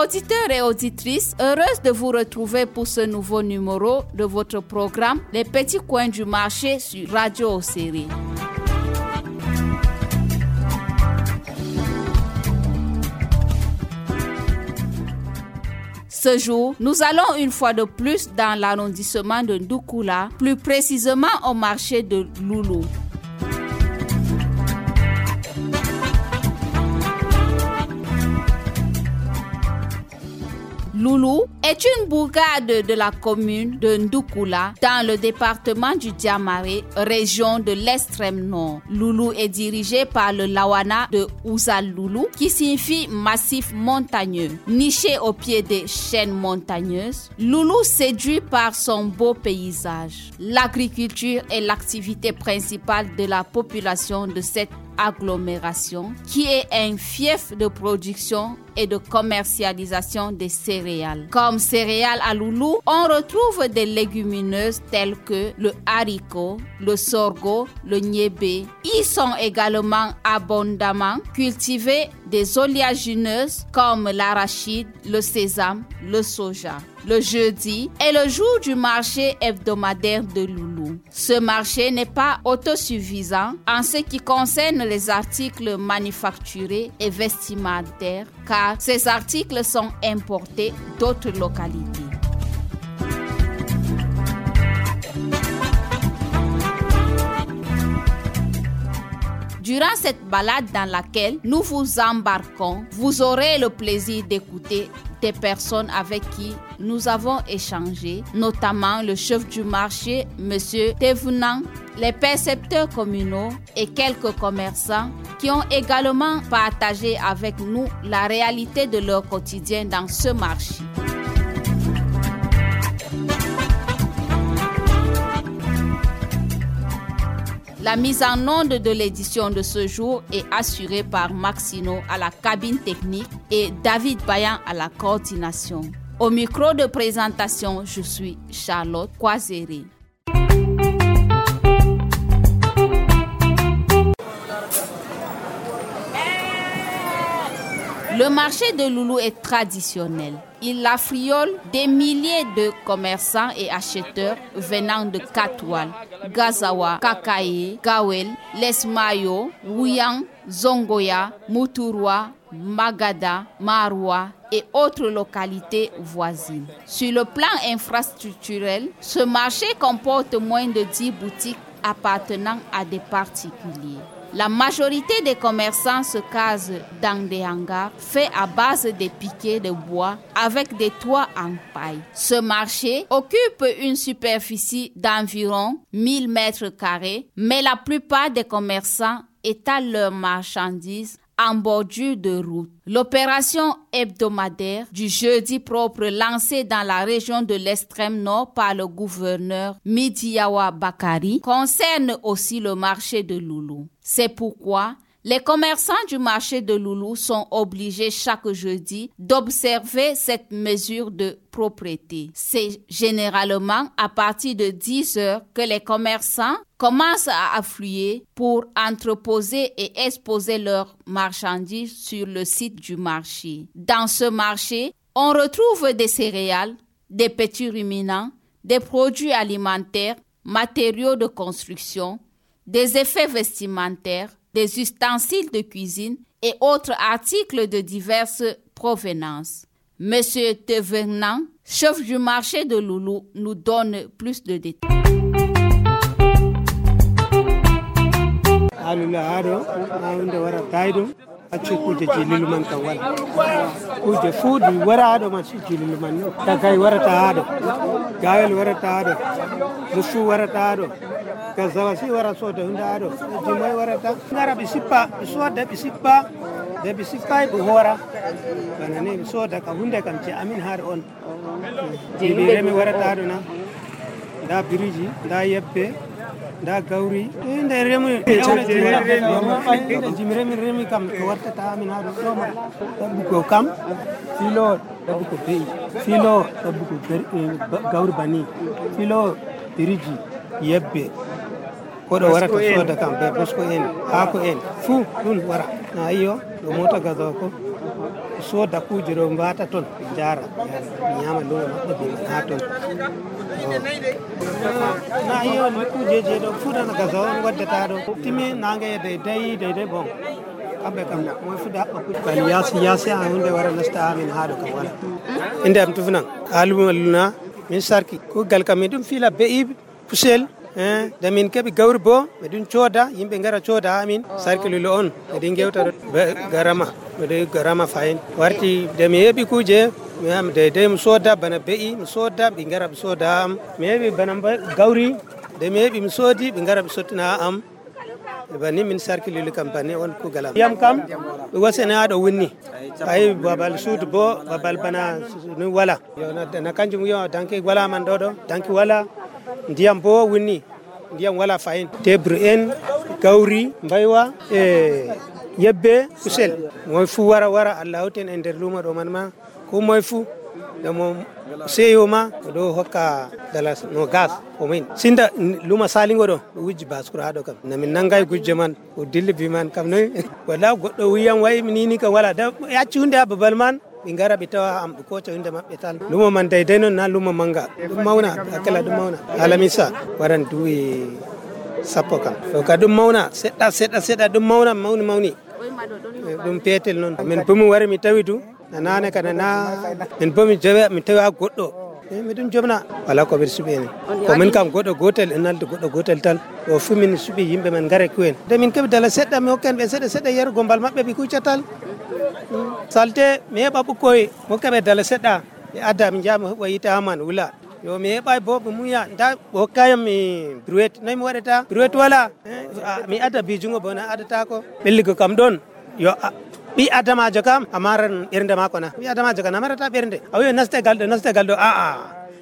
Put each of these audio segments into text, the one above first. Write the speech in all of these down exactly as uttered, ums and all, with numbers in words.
Auditeurs et auditrices, heureuse de vous retrouver pour ce nouveau numéro de votre programme Les Petits Coins du Marché sur Radio Ossérie. Ce jour, nous allons une fois de plus dans l'arrondissement de Ndoukoula, plus précisément au marché de Loulou. Loulou est une bourgade de la commune de Ndoukoula dans le département du Diamaré, région de l'extrême nord. Loulou est dirigé par le Lawana de Ouzal Loulou qui signifie massif montagneux. Niché au pied des chaînes montagneuses, Loulou séduit par son beau paysage. L'agriculture est l'activité principale de la population de cette agglomération qui est un fief de production et de commercialisation des céréales. Comme céréales à Loulou, on retrouve des légumineuses telles que le haricot, le sorgho, le niébé. Y sont également abondamment cultivées des oléagineuses comme l'arachide, le sésame, le soja. Le jeudi est le jour du marché hebdomadaire de Loulou. Ce marché n'est pas autosuffisant en ce qui concerne les articles manufacturés et vestimentaires, car ces articles sont importés d'autres localités. Durant cette balade dans laquelle nous vous embarquons, vous aurez le plaisir d'écouter des personnes avec qui nous avons échangé, notamment le chef du marché, M. Thévenant, les percepteurs communaux et quelques commerçants qui ont également partagé avec nous la réalité de leur quotidien dans ce marché. La mise en onde de l'édition de ce jour est assurée par Maxino à la cabine technique et David Bayan à la coordination. Au micro de présentation, je suis Charlotte Kwazere. Le marché de Loulou est traditionnel. Il affriole des milliers de commerçants et acheteurs venant de Katoual, Gazawa, Kakaye, Gawel, Lesmayo, Wuyang, Zongoya, Moutourwa, Magada, Maroua et autres localités voisines. Sur le plan infrastructurel, ce marché comporte moins de dix boutiques appartenant à des particuliers. La majorité des commerçants se casent dans des hangars faits à base de piquets de bois avec des toits en paille. Ce marché occupe une superficie d'environ mille mètres carrés, mais la plupart des commerçants étalent leurs marchandises en bordure de route. L'opération hebdomadaire du jeudi propre lancée dans la région de l'extrême nord par le gouverneur Midiawa Bakari concerne aussi le marché de Loulou. C'est pourquoi les commerçants du marché de Loulou sont obligés chaque jeudi d'observer cette mesure de propreté. C'est généralement à partir de dix heures que les commerçants commencent à affluer pour entreposer et exposer leurs marchandises sur le site du marché. Dans ce marché, on retrouve des céréales, des petits ruminants, des produits alimentaires, matériaux de construction, des effets vestimentaires, des ustensiles de cuisine et autres articles de diverses provenances. Monsieur Thévenant, chef du marché de Loulou, nous donne plus de détails. accu kuje jililu man kan wala kuje fuudi wara do man si jililu man no tagay warata do gawel warata do musu warata do kazawa si wara so do hunda do jimoy warata ngara bi sippa so da bi sippa da bi sippa bu hora banane so da ka hunde kam ci amin har on jibi remi warata do na da biriji da yebbe da gauri inde remi jimremi remi kam ko warta ta min hado do ma dabbu ko kam filo dabbu ko be filo dabbu ko gauri bani filo diriji yebbe ko do warata so da kam be bosko en ha ko en fu dun wara ayo do mota gazo ko soda kuje ɗo mbata toon jara ñama lumo maɓɓe ɓe ha toon na iyo kujeji ɗo fuɗana gaza on waddata ɗo timi nange dey dey dey dey bon kamɓe kam moy fuɗa haɓɓa kuj bal yasi yasi a hunde wara nasta amin haɗo kam wala inde am tufnan aluma luna min sarki kugal kam min ɗum fiila be'iɓe pusel da min keɓi gawri bo miɗum cooda yimɓe gara cooda ha min sarki lulo on miɗin gewta garama miɗo garama fayin warti de mi heeɓi kuje mi am deydey mi sooda bana be'i mi sooda ɓe gara ɓe sooda am mi heeɓi bana gawri de mi heeɓi mi soodi ɓe gara ɓe sottina am banni min sarki lulu kam banni on kugalam yam kam ɓe wasene ha ɗo wunni ayi babal suudu bo babal bana ni wala na kanjum yo danki wala man ɗo ɗo danki wala ndiyam bo wunni ndiyam wala fayin tebre en gawri mbaywa e yebbe kusel moy fu wara wara Allah hawten e nder lumo ɗo man ma ko moy fu damo seyoma ɗo hokka dala no gas o min sinda luma salingo ɗo ɗo wujji baskuro ha ɗo kam namin nangay gujje man o dilli bi man kam noy wala goɗɗo wiyam wayi nini kam wala da yacci hunde ha babal man ɓe gara ɓe tawa am ɓe koca hunde maɓɓe tal lumo man deydey noon na lumo manga ɗum mawna hakkila ɗum mawna alamisa waran duwi sappo kam o ka ɗum mawna seɗɗa seɗɗa seɗɗa ɗum mawna mawni mawni ɗum peetel noon min bomi wari mi tawi du nanane kana na min bomi jowe mi tawi ha goɗɗo miɗum jomna wala ko ɓeɗa suuɓi enen komin kam goɗɗo gotel en nalde goɗɗo gotel tan o fu min suuɓi yimɓe men gare kuwen de min keɓi dala seɗɗa mi hokken ɓe seɗɗa seɗɗa yerugo mbal maɓɓe ɓe kuccatal salte mi heɓa ɓukkoye mi hokkaɓe dala seɗɗa ɓe adda mi jaa mi heɓa yita haman wula yo mi heɓay bo ɓe muya nda ɓe hokkayam mi brouette noyi mi waɗata brouette wala mi adda bijungo bo na adatako ɓelligo kam ɗon yo ɓi adamajo kam a maran ɓernde mako na ɓi adamajo kam a marata ɓernde a wiyo naste gal ɗo naste gal ɗo aa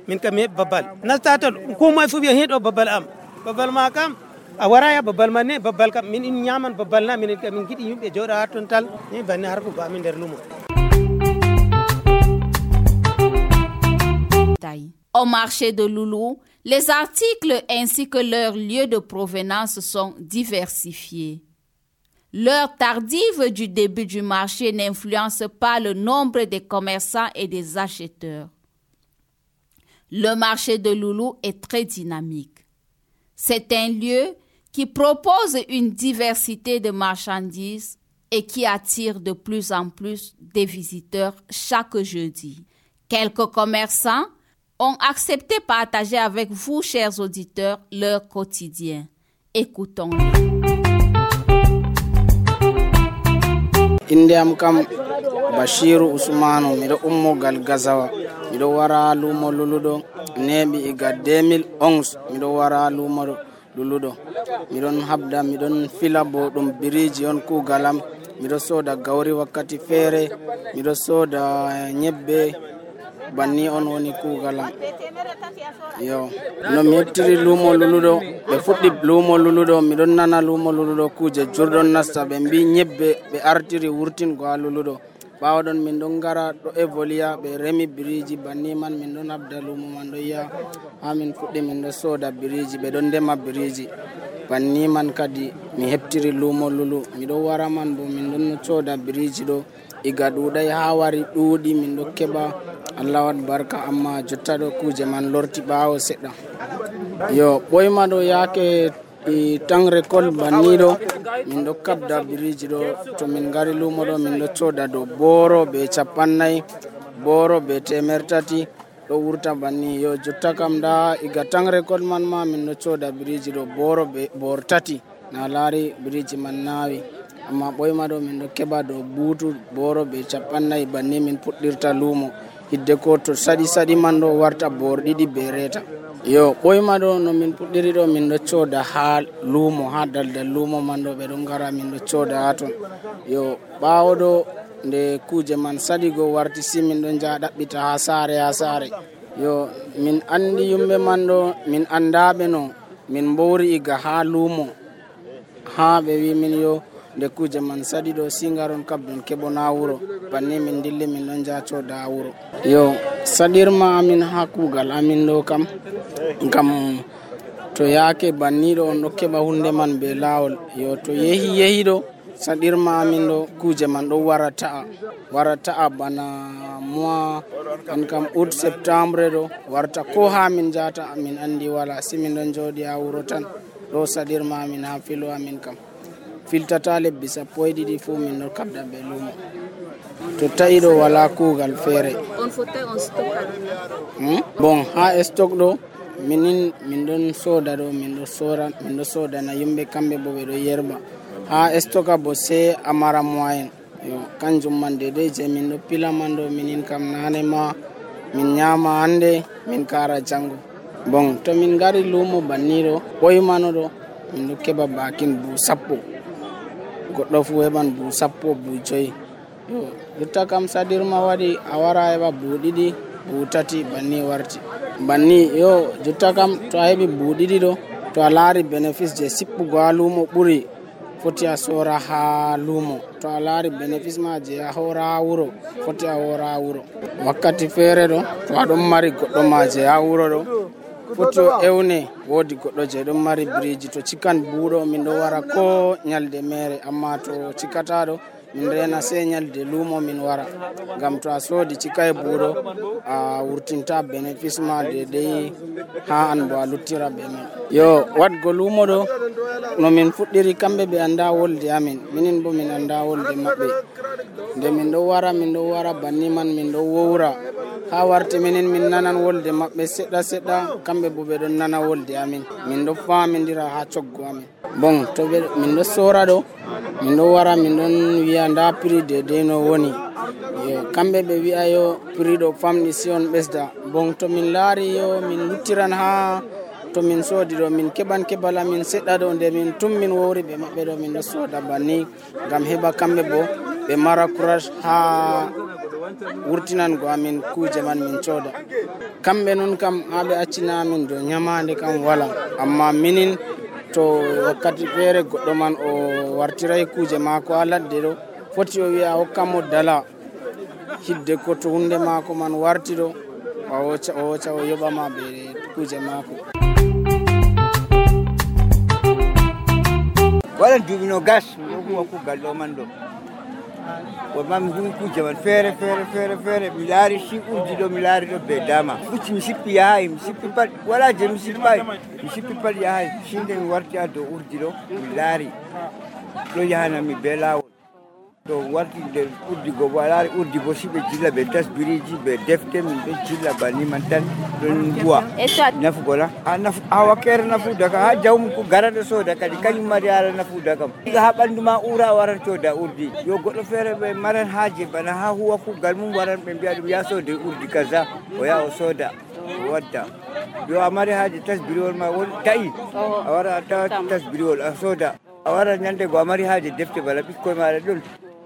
min kam mi heɓi babbal nasta toon kumoye fu wiya heɗo babbal am babbal ma kam a waraya babbal man ne babbal kam min in ñaman babbal na minen kam min giɗi yimɓe jooɗa ha toon tal ni banni harkugo amin nder lumo. Au marché de Loulou, les articles ainsi que leurs lieux de provenance sont diversifiés. L'heure tardive du début du marché n'influence pas le nombre des commerçants et des acheteurs. Le marché de Loulou est très dynamique. C'est un lieu qui propose une diversité de marchandises et qui attire de plus en plus des visiteurs chaque jeudi. Quelques commerçants ont accepté de partager avec vous, chers auditeurs, leur quotidien. Écoutons-les. Indiam kam Bashiru Usmanu miɗo ummogal Gazawa miɗo wara lumo luluɗo neɓi iga deux mille onze miɗo wara lumo luluɗo miɗon habda miɗon fila bo ɗum biriji on kugalam miɗo soda gawri wakkati feere miɗo soda ñebbe banni on woni kugalam yo no mi heɓtiri lumo luluɗo ɓe fuɗɗi lumo luluɗo miɗon nana lumo luluɗo kuje jurɗon nasta ɓe mbi ñebbe ɓe artiri wurtingo ha luluɗo ɓawo ɗon min ɗon gara ɗo évoluya ɓe remi biriji banni man min ɗon habda lumo man ɗo yiya ha min fuɗɗi min ɗo soda biriji ɓe ɗon ndema biriji banni man kadi mi heɓtiri lumo lulu miɗo wara man bo min ɗon soda biriji ɗo iga ɗuɗay ha wari ɗuuɗi min ɗo keɓa Allah wat barka amma jotta ɗo kuje man lorti ɓawo seɗɗa yo ɓoyma ɗo yake i tan récolte banni ɗo min ɗo kabda biriji ɗo to min gari lumo ɗo min ɗo soda dow boro be capannayyi boro be temer tati ɗo wurta banni yo jotta kam da iga tan récolte man ma min ɗo soda biriji ɗo boro be bor tati na laari biriji man nawi amma ɓoyma ɗo min ɗo keɓa dow buutu boro be capannayyi banni min puɗɗirta lumo hidde ko to saɗi saɗi man ɗo warta bor ɗiɗi be reta yo ɓoyma ɗo no min puɗɗiri ɗo min ɗo coda ha lumo ha daldal lumo man ɗo ɓe ɗon gara min ɗo coda ha ton yo ɓawo ɗo nde kuje man saɗi go warti si min ɗon jaha ɗaɓɓita ha saare ha saare yo min andi yumɓe man ɗo min andaɓe no min mbowri iga ha lumo ha ɓe wi min yo nde kuje man saɗi ɗo singaron kabdon keɓona wuro banni min dilli min ɗon jaha coda ha wuro yo saɗirma amin ha kugal amin ɗo kam ngam to yaake banni ɗo on ɗo keɓa hunde man be lawol yo to yehi yehi ɗo saɗirma amin ɗo kuje man ɗo wara ta'a wara ta'a bana mois an kam août septembre ɗo warta ko ha min jata min andi wala si min ɗon joɗi ha wuro tan ɗo saɗirma amin ha filo amin kam filtata lebbi sappo e ɗiɗi fu min ɗo kabda be lumo to ta'i ɗo wala kugal feere on fotai on stock hmm? bon ha stock ɗo minin min ɗon soda ɗo min ɗo sora min ɗo soda na yimɓe kamɓe bo ɓe ɗo yerba ha stock bo se amara moyen yo kanjum man dede je min ɗo pila man ɗo minin kam nane ma min nyama hande min kara jango bon to min gari lumo banni ɗo ɓoymano ɗo min ɗo keɓa bakin bu sappo goɗɗo fu heɓan bu sappo bu joyi yo jotta kam saɗirma waɗi a wara heɓa bu ɗiɗi bu tati banni warti banni yo jotta kam to a heɓi bu ɗiɗi ɗo to a laari bénéfice je sippugo ha lumo ɓuri foti a sora ha lumo to a laari bénéfice ma je a hora ha wuro foti a hora ha wuro wakkati feere ɗo to aɗon mari goɗɗo ma je ha wuro ɗo foti o ewne woodi goɗɗo je ɗon mari biriji to cikan buuɗo min ɗo wara ko nyalde mere amma to cikata ɗo min rena se nyalde lumo min wara ngam to a soodi cika e buuɗo a wurtinta bénéfice ma dedei ha an bo a luttira be man yo wadgo lumo ɗo no min fuɗɗiri kamɓe ɓe anda wolde amin minin bo min anda wolde maɓɓe nde min ɗo wara min ɗo wara banni man min ɗo wowra ha warti minin min nanan wolde maɓɓe seɗɗa seɗɗa kamɓe bo ɓe ɗon nana wolde amin min ɗo famidira ha coggo amin bon to ɓe min ɗo sora ɗo min ɗo wara min ɗon wiya nda prix dedei no woni yo kamɓe ɓe wi'a yo prix ɗo famɗi si on ɓesda bon to min laari yo min luttiran ha to min soodi ɗo min keɓan keɓal amin seɗɗa ɗo nde min tum min wowri ɓe maɓɓe ɗo min ɗo sooda banni ngam heɓa kamɓe bo ɓe mara courage ha wurtinango amin kuje man min cooda kamɓe noon kam ha ɓe accina amin dow nyamande kam wala amma minin to wakkati feere goɗɗo man o wartiray kuje maako ha ladde ɗo foti o wiya hokkamo dala hidde ko to hunde maako man warti ɗo o woca o woca o yoɓama ɓe kuje maako waɗan duuɓi no gas mi ɗo huwa kugal ɗo man ɗo wonma mi huwi kuje man feere feere feere feere mi laari si urdi ɗo mi laari ɗo be dama ɓucci mi sippi yahay mi sippi pat wala je mi sippay mi sippi pat yahay sinde mi warti ha dow urdi ɗo mi laari ɗo yahanami be laawol to warti nder urdi go bo a laari urdi bo si ɓe jilla ɓe tasbiriji ɓe defte min ɓe jilla banni man tan ɗon huwa nafugola ha nafu ha wakkere nafuda ka ha jawmum ko garaɗo sooda kadi kañum mari ara nafuda kam ha ɓandu ma ura waran cooda urdi yo goɗɗo feere ɓe maran haaje bana ha huwa kugal mum waran ɓe mbiya ɗum ya soode urdi kaza o yaha o sooda o wadda yo a mari haaje tasbiriwol ma won ta'i a wara a tawa tasbiriwol a sooda a wara ñande go a mari haaje defte bala ɓikkoye maɗa ɗon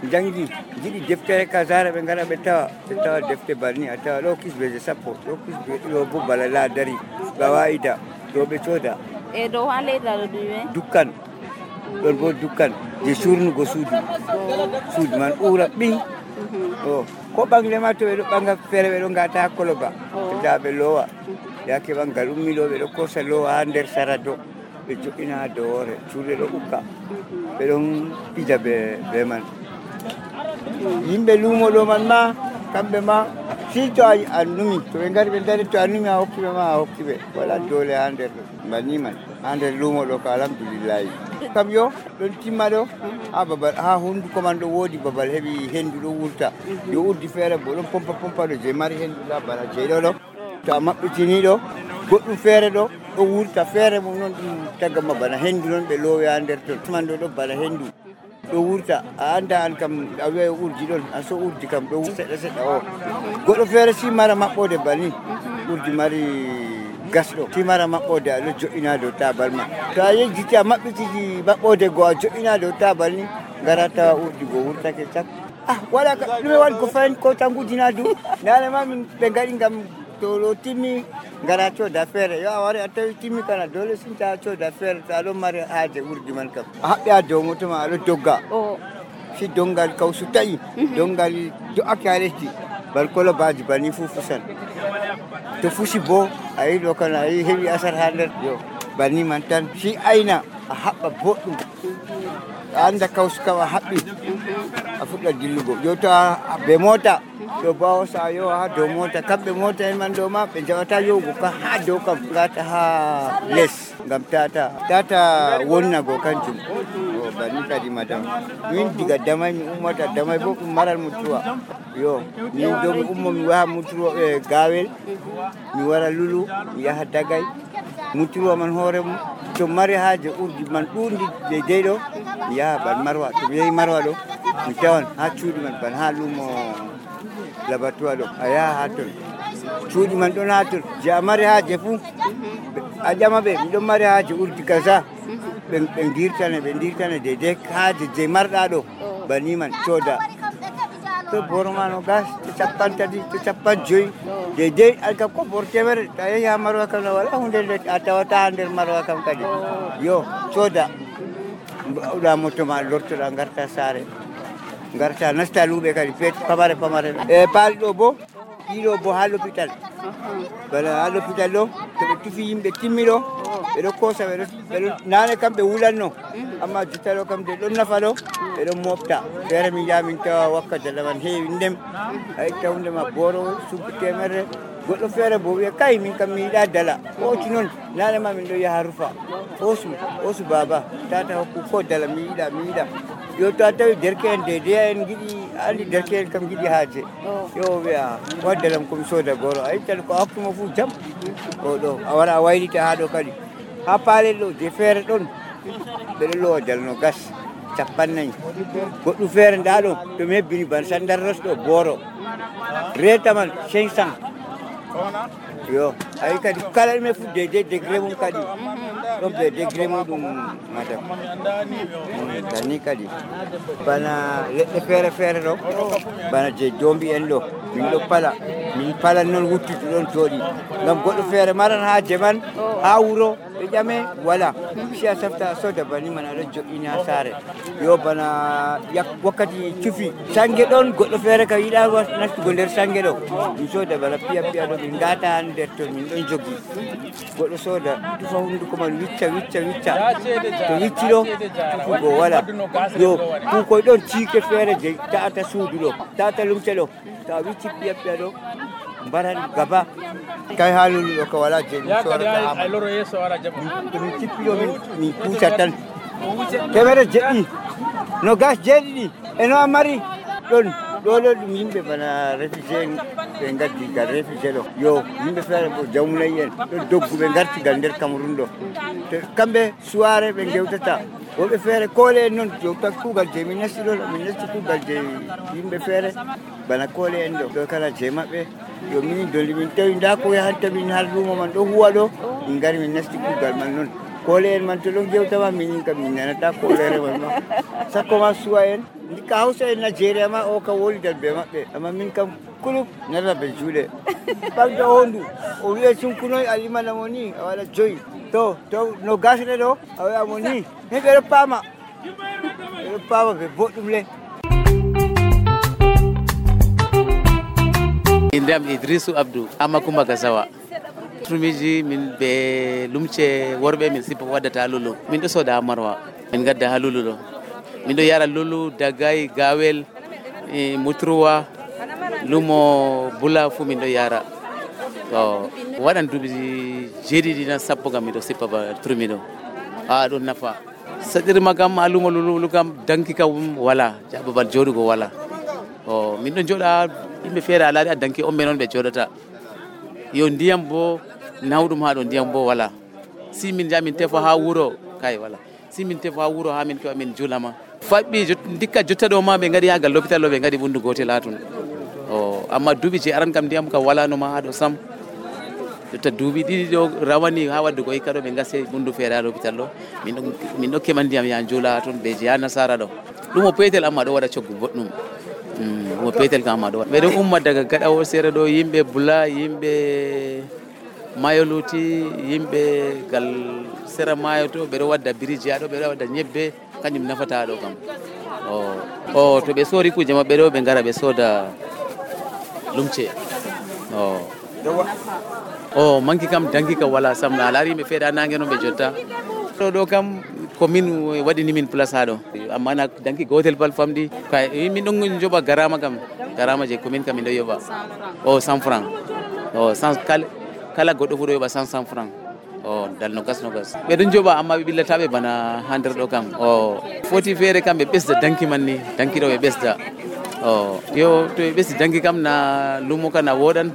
jangdi jiɗi deftere kasara ɓe ngara ɓe tawa ɓe tawa defte banni a tawa ɗo kisbeje sappo ɗo kisbe ɗo bo bala la dari gawa'ida ɗo ɓe cooda e ɗo ha leydi ɗo ɗume dukkan ɗon bo dukkan je surnugo suudu suudu man ɓuura ɓing o ko ɓangle ma to ɓe ɗo ɓanga feere ɓe ɗo ngata ha koloba ɓe tawa ɓe loowa yake ɓangal ummi ɗo ɓe ɗo kosa loowa ha nder sarado ɓe joɗɗina ha dow hoore cuuɗe ɗo ɓukka ɓe ɗon pija be be man yimɓe luumo ɗo man ma kamɓe ma si to a numi to ɓe ngari ɓe dari to a numi a hokkiɓe ma a hokkiɓe wala doole ha nder ɗo banni man ha nder luumo ɗo ko alhamdulillahi kam yo ɗon timma ɗo ha babal ha hunduko man ɗo woodi babal heɓi hendu ɗo wurta yo urdi feere bo ɗon pompa pompa ɗo je mari hendu ɗa bana jeyɗo ɗo to a maɓɓitini ɗo goɗɗum feere ɗo ɗo wurta feere mum noon ɗum tagama bana hendu noon ɓe loowi ha nder ton tuman ɗo ɗo bana hendu ɗo wurta a anda an kam a wiya urdi ɗon a so urdi kam ɗo seɗɗa seɗɗa o goɗɗo feere si mara maɓɓode banni urdi mari gas ɗo si mara maɓɓode aɗo joɗɗina dow tabal ma to a yejjiti a maɓɓitiji maɓɓode go a joɗɗina dow tabal ni gara tawa urdi go wurtake cak ah waɗa ɗume waɗi ko fayin ko tangudina du nane ma min ɓe gaɗi ngam to ɗo timmi gara cooda feere yo a wari a tawi timmi kana dole sinta cooda feere to aɗon mari haaje urdi man kam a haɓɓi ha dow moto ma aɗo dogga si dongal kawsu taƴi dongal do'ake ha lesdi bal kolobaji banni fu fusan to fusi bo a yi ɗo kana a yi heɓi asar ha nder yo banni man tan si ayna a haɓɓa boɗɗum a anda kawsu kam a haɓɓi a fuɗɗa dillugo yo to be mota ɗo bawo sa yo ha dow mota kamɓe mota en man ɗo ma ɓe jawata yohugo ka ha dow kam gata ha les ngam tata tata wonnago kanjum o banni kadi madam min diga damay mi ummata damay bo ɗum maral mutuwa yo min do mi ummo mi waha mutuwa e gawel mi wara lulu mi yaha dagay mutuwa man hoore mum to mari haaje urdi man ɗundi de deyɗo mi yaha ban marwa to mi yehi marwa ɗo mi tawan ha cuuɗi man ban ha lumo labatuwa ɗo a yaha ha ton cuuɗi man ɗon ha ton je a mari haaje fuu a ƴama ɓe miɗon mari haaje urdi kaza ɓe dirtane ɓe dirtane de de haaje je marɗa ɗo bani man cooda to boro ma no gas to capan tati to capan joyi de de alka ko bor temere ta yehi ha marwa kam no wala hunde nde a tawata ha nder marwa kam kadi yo cooda ɗa moto ma lortoɗa garta saare garta nasta luuɓe kadi pet pamare pamare e paali ɗo bo ɗiɗo bo ha l'hôpital bala ha l'hôpital ɗo to ɓe tufi yimɓe timmi ɗo ɓeɗo kosa ɓeɗo nane kam ɓe wulanno amma jotta ɗo kam de ɗon nafa ɗo ɓeɗon mofta feere min jaha min tawa wakka dala man heewi ndem a itta hunde ma boro subbi temere goɗɗo feere bo wiya kay min kam mi yiɗa dala ooti noon nane ma min ɗo yaha rufa osu osu baba tata hokku ko dala mi yiɗa mi yiɗa yo to a tawi derke en dedeya en giɗi andi derke en kam giɗi haaje yo wiya waddalam komi sooda goro a ittan ko hakkuma fuu jam o ɗo a wara a waylita ha ɗo kadi ha paalel ɗo je feere ɗon ɓeɗo lowa dalno gas capannayyi goɗɗum feere nda ɗo to mi hebbini ban sandarros ɗo booro reta man cinq cent yo ayi kadi kala ɗume fu dede degré mum kadi ɗon ɓe degré muɗum madam tani kadi bana leɗɗe feere feere ɗo bana je dombi en ɗo min ɗo pala min pala noon wuttude ɗon jooɗi ngam goɗɗo feere maran ha jeman ha wuro ɓe ƴame wala si a safta a soda bani man aɗa joɗɗini ha saare yo bana yak wakkati cufi sangue ɗon goɗɗo feere kam yiɗa nastugo nder sangue ɗo mi soda bana piya piya ɗo min gata ha nder ton min ɗon joggi goɗɗo soda tufa hunduko man wicca wicca wicca to wicci ɗo tufugo wala yo kukoy ɗon ciike feere je ta'ata suudu ɗo ta'ata lumce ɗo ta wicci piya piya ɗo mbaran gaba kay ha lulu ɗo ka wala je min sorata min cippiɗo min min puusa tan temere jeɗɗi no gas jeeɗiɗi eno a mari ɗon ɗo ɗo ɗum yimɓe bana réfugié ɓe gaddi gal réfugié ɗo yo yimɓe feere bo jawmunayi en ɗo doggu ɓe gartigal nder Cameroun ɗo to kamɓe suware ɓe gewtata woɓe feere koole en noon jowta kuugal je min nasti ɗo min nasti kuugal je yimɓe feere bana koole en ɗo ɗo kala je maɓɓe yo min dolli min tawi nda ko yahanta min har lumo man ɗo huwa ɗo min gari min nasti kuugal man noon koole en man to ɗon gewtama minin kam min nanata koolere man ma sakko ma suwa en ndikka hawsa en Nigeria ma o kam wolidal be maɓɓe amma min kam kulub nana be juuɗe ɓagda hondu o wiya sunkunoy alimana mo ni a waɗa joyi to to no gasre ɗo a wiya mo ni min ɓeɗo paama ɓeɗo paama ɓe boɗɗum le indam Idrisu Abdou Amma Kumba Gazawa turmiji min be lumce worɓe min sippa waddata lulu min ɗo soda ha marwa min gadda ha lulu ɗo min ɗo yara lulu dagay gawel e mutruwa lumo bula fu min ɗo yara to waɗan duuɓi jeeɗiɗi tan sappo kam miɗo sippa ba turmi ɗo a ɗum nafa saɗirma kam ha lumo lulu kam danki kam wala babal joɗugo wala o min ɗo joɗa yimɓe feere alaɗi a danki on ɓe noon ɓe joɗata yo ndiyam bo nawɗum ha ɗo ndiyam bo wala si min ja min tefa ha wuro kay wala si min tefa ha wuro ha min kewa min julama faɓɓi dikka jotta ɗo ma ɓe gaɗi yagal l'hôpital ɗo ɓe gaɗi ɓundu gotel ha tun o amma duuɓi je aran kam ndiyam kam walanoma ha ɗo sam jotta duuɓi ɗiɗi ɗo rawani ha wadde ko hikka ɗo ɓe gase ɓundu feere ha l'hôpital ɗo min ɗo keɓa ndiyam ya jula ha toon ɓe je ha nasara ɗo ɗum o peetel amma ɗo waɗa coggu boɗɗum mo peetel kam ma ɗo waɗa ɓeɗo umma daga gaɗa o seere ɗo yimɓe bula yimɓe mayoluti yimɓe gal sera mayo to ɓeɗo wadda biriji ha ɗo ɓeɗo wadda ñebbe kañum nafata ɗo kam o o to ɓe soori kuje maɓɓe ɗo ɓe gara ɓe sooda lumce o o manki kam danki kam wala sam a laari yimɓe feere ha nangue noon ɓe jotta ɗo ɗo kam komin waɗini min place ha ɗo amma na danki gotel bal famɗi kay min ɗon joɓa garama kam garama je commune kam min ɗo yoɓa o cent franc o kala goɗɗo fu ɗo yoɓa cent cent franc o dal nogas nogas ɓeɗon joɓa amma ɓe ɓillataɓe bana ha nder ɗo kam o foti feere kam ɓe ɓesda danki man ni danki ɗo ɓe ɓesda o yo to ɓe ɓesdi danki kam na lumo ka na woɗan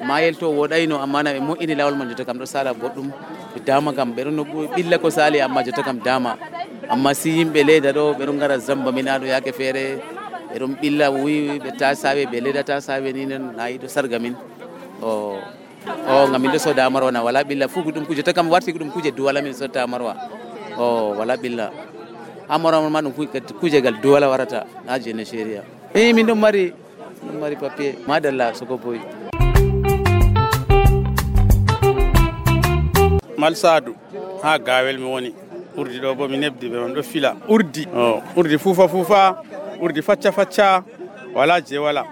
mayel to woɗayno amma na ɓe moƴƴini lawol man jotta kam ɗo sala goɗɗum ɓe dama kam ɓeɗon no ɓilla ko sali amma jotta kam dama amma si yimɓe leyda ɗo ɓeɗon gara zamba min aɗo yake feere ɓeɗon ɓilla wi ɓe ta sawe ɓe leyda ta sawe ni non na yiɗo sarga min o o ngam min ɗo soda amarwa na wala ɓilla fu ɗum kuje jotta kam warti ɗum kuje duwala min sotta amarwa o wala ɓilla amarwa ma ɗum kuje gal duwala warata ha je Nigeria e min ɗon mari ɗon mari papier madalla soko boy Malsadu ha gawel mi woni urdi ɗo bo mi nebdi ɓe man ɗo fila urdi o urdi fufa fufa urdi facca facca wala je wala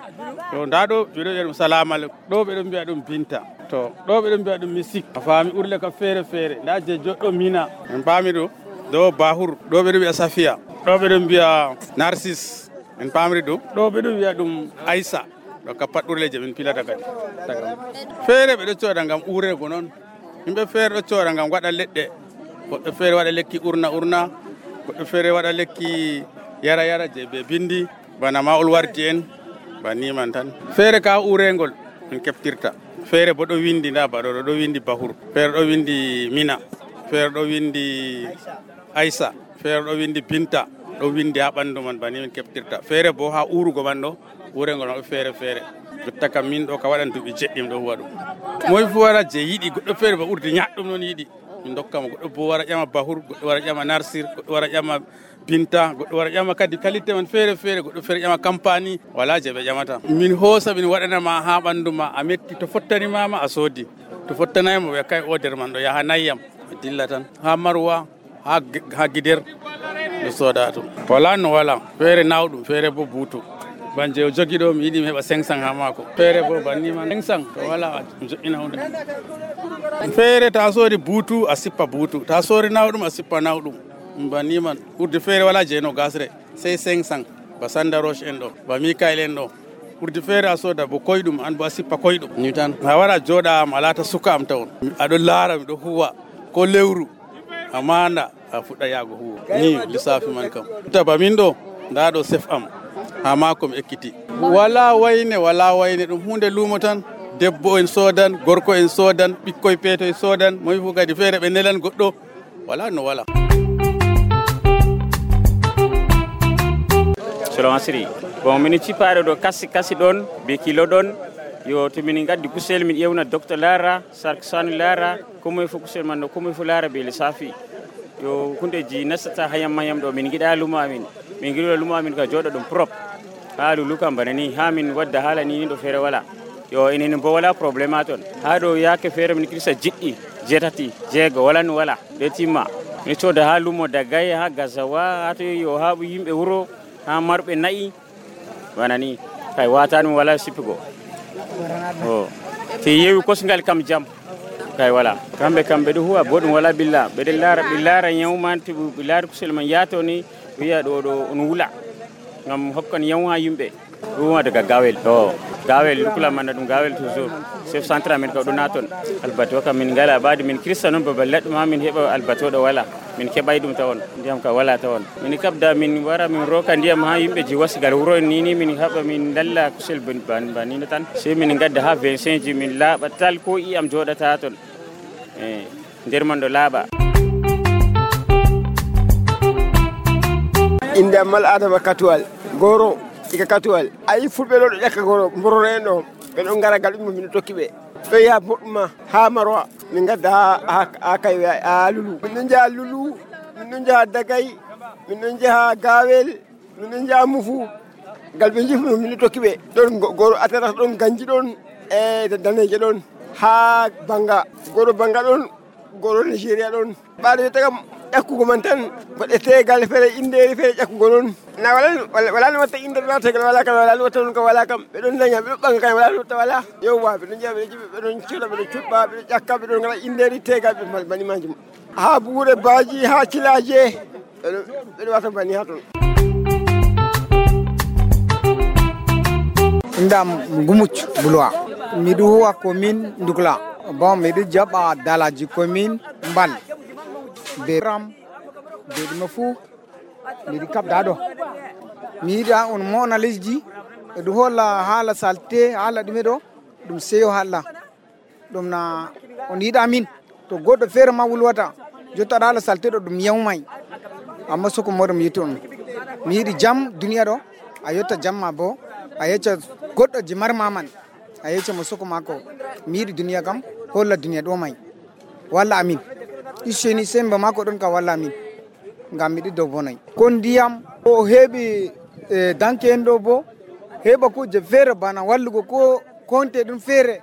to nda ɗo ɓeɗo wiya ɗum salamal ɗo ɓeɗo mbiya ɗum binta to ɗo ɓeɗo mbiya ɗum misik a faami urle ka feere feere nda je joɗɗo mina en paami ɗo ɗo bahur ɗo ɓeɗo wiya safia ɗo ɓeɗo mbiya narcisse en paamri ɗum ɗo ɓeɗo wiya ɗum aissa ɗo ka pat urle je min pilata kadi feere ɓeɗo coda ngam urego noon yimɓe feere ɗo coda ngam waɗa leɗɗe goɗɗo feere waɗa lekki urna urna goɗɗo feere waɗa lekki yara yara je ɓe bindi bana mawol warti en baniman tan feere ka urengol min keftirta feere bo ɗo windi nda baɗo ɗo windi bahur feere ɗo windi mina feere ɗo windi aissa feere ɗo windi binta ɗo windi ha ɓandu man bani min keftirta feere bo ha urugo man ɗo urengol maɓɓe feere feere jotta kam min ɗo ka waɗan duɓi jeɗɗim ɗo huwa ɗum moy fu wara je yiɗi goɗɗo feere ba urdi ñaɗɗum noon yiɗi min dokkamo goɗɗo bo wara ƴama bahur goɗɗo wara ƴama narsir goɗɗo wara ƴama binta goɗɗo wara ƴama kadi qualité man feere feere goɗɗo feere ƴama campagne wala je ɓe ƴamata min hoosa min waɗanama ha ɓandu ma a metti to fottanimama a soodi to fottanaymo ɓe kay oder man ɗo yaha nayyam a dilla tan ha marwa ha ha guider ɗo sooda tum wala no wala feere nawɗum feere bo buutu banje o jogi ɗo mi yiɗi mi heɓa cinq cent ha mako feere bo bannima cinq cent to wala joƴƴina hunde feere ta soodi buutu a sippa buutu ta soori nawɗum a sippa nawɗum banniman urde feere wala jeeno gasre sey cinq cent ba sanda roche en ɗo ba mikael en ɗo urde feere a sooda bo koyɗum an bo a sippa koyɗum ni tan a wara jooɗa am a laata suka am tawon aɗo laara miɗo huwa ko lewru a manda a fuɗɗa yaago huwa ni lissafi man kam taba min ɗo nda ɗo chef am ha mako mi ekkiti wala wayne wala wayne ɗum hunde luumo tan debbo en soodan gorko en soodan ɓikkoye peetoye soodan moyi fu kadi feere ɓe nelan goɗɗo wala no wala. Selon Asri bon min cipaɗo ɗo kasi kasi ɗon be kilo ɗon yo to min gaddi kusel min ƴewna docteur Lara sark sanu Lara komoye fo kusel man ɗo komoye fo Lara be lissafi yo hundeji nastata hayam mayam ɗo min giɗa lumo amin min giɗo lumo amin ka jooɗo ɗum prop ha lulu kam bana ni ha min wadda haala ni ni ɗo feere wala yo enen bo wala probléme a toon ha ɗo yaake feere min kirsa jiɗɗi jeetati jeego wala no wala ɗe timma min cooda ha lumo Dagay ha Gazawa ha to yo ha yimɓe wuro ha marɓe nayi bana ni kay watani wala sippigo o te yewi kosgal kam jam kay wala kamɓe kam ɓeɗo huwa bo ɗum wala billa ɓeɗe laara ɓe laara ñawman to ɓe laari kusel man yaato ni wiya ɗo ɗo on wula ngam hokkan yaw ha yimɓe ɗuma daga gawel o gawel lukula manna ɗum gawel toujours chef centre amen ka ɗo naton albato kam min ngala ɓaade min kirsta noon babal leɗɗo ma min heeɓa albato ɗo wala min keɓay ɗum tawon ndiyam ka wala tawon min kabda min wara min roka ndiyam ha yimɓe ji wasgal wuro en nini min haɓa min dalla kusel banino tan sey min gadda ha vingt-cinq ji min laaɓa tal ko iyam joɗata toon e nder man ɗo laaɓa. inde am mal adama katuwal goro ika katuwal ayi fulɓe ɗo ɗo ƴakka goro mbororo en ɗo ɓeɗo gara gal ɗum min tokki ɓe ɓe yaha boɗɗuma ha marwa min gadda ha ha kay ha lulu min ɗon jaha lulu min ɗon jaha Dagay min ɗon jaha gawel min ɗon jaha mufu gal ɓe jifno min tokki ɓe ɗon goro atata ɗon ganji ɗon e daneje ɗon ha banga goro banga ɗon goro Nigeria ɗon ɓaade tagam ƴakkugo man tan waɗete gal feere inderi feere ƴakkugo noon na wala wala no wata inde wala tegal wala kala wala no wata ko wala kam be don daña be banga kay wala no wata wala yo wa be don jabe be don ciula be don cubba be jakka be don ngala inderi tegal be bani manjum ha buure baaji ha cilaje be wata bani haton ndam ngumuch bulwa midu huwa commune Ndugla bon midu jaba dalaji commune Mbal be ram be mafu midu kap dado miida on mona lesdi du holla hala salte hala dimedo dum seyo hala dum na on yida min to goddo fere ma wulwata jotta hala salte do dum yawmay amma soko modum yiton mi yidi jam duniya do a yotta jamma bo a yecca goddo jimar maman a yecca mo soko mako mi yidi duniya kam holla duniya do may walla amin isheni semba mako don ka walla amin ngam mi do bonay kon diyam o hebi e danke endo bo heba ko je fere bana wallugo ko konte dum fere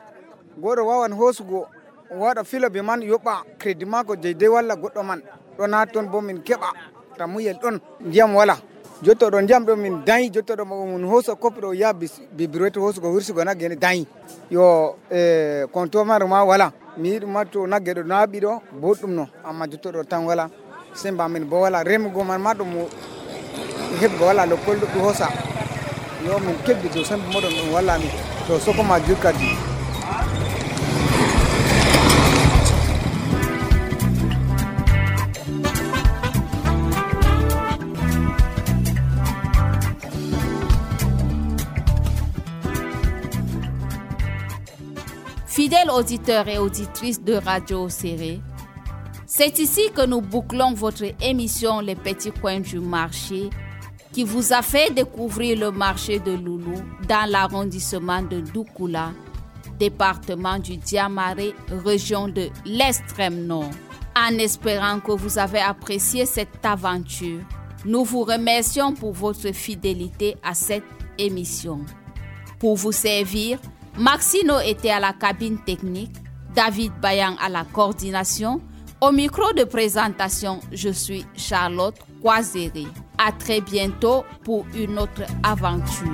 godo wawan hosugo wada fila be man yoba credit mako je de walla goddo man do na ton bo min keba tamuyel don ndiyam wala jotto do ndiyam do min dayi jotto do mun hoso kopdo ya bibiroto hosugo hursugo na gene dayi yo e konto mar ma wala mi matto nagge do nabi do boddum no amma jotto do tan wala semba min bo wala remugo man ma do mo hebgo wala lo koldo do hosa yo min kebbi do semba modon dum wala mi to soko ma jukadi. Fidèles auditeurs et auditrices de Radio Séré, c'est ici que nous bouclons votre émission Les Petits Coins du Marché qui vous a fait découvrir le marché de Loulou dans l'arrondissement de Doukoula, département du Diamaré, région de l'extrême nord. En espérant que vous avez apprécié cette aventure, nous vous remercions pour votre fidélité à cette émission. Pour vous servir, Maxino était à la cabine technique, David Bayan à la coordination. Au micro de présentation, je suis Charlotte Kwazere. À très bientôt pour une autre aventure.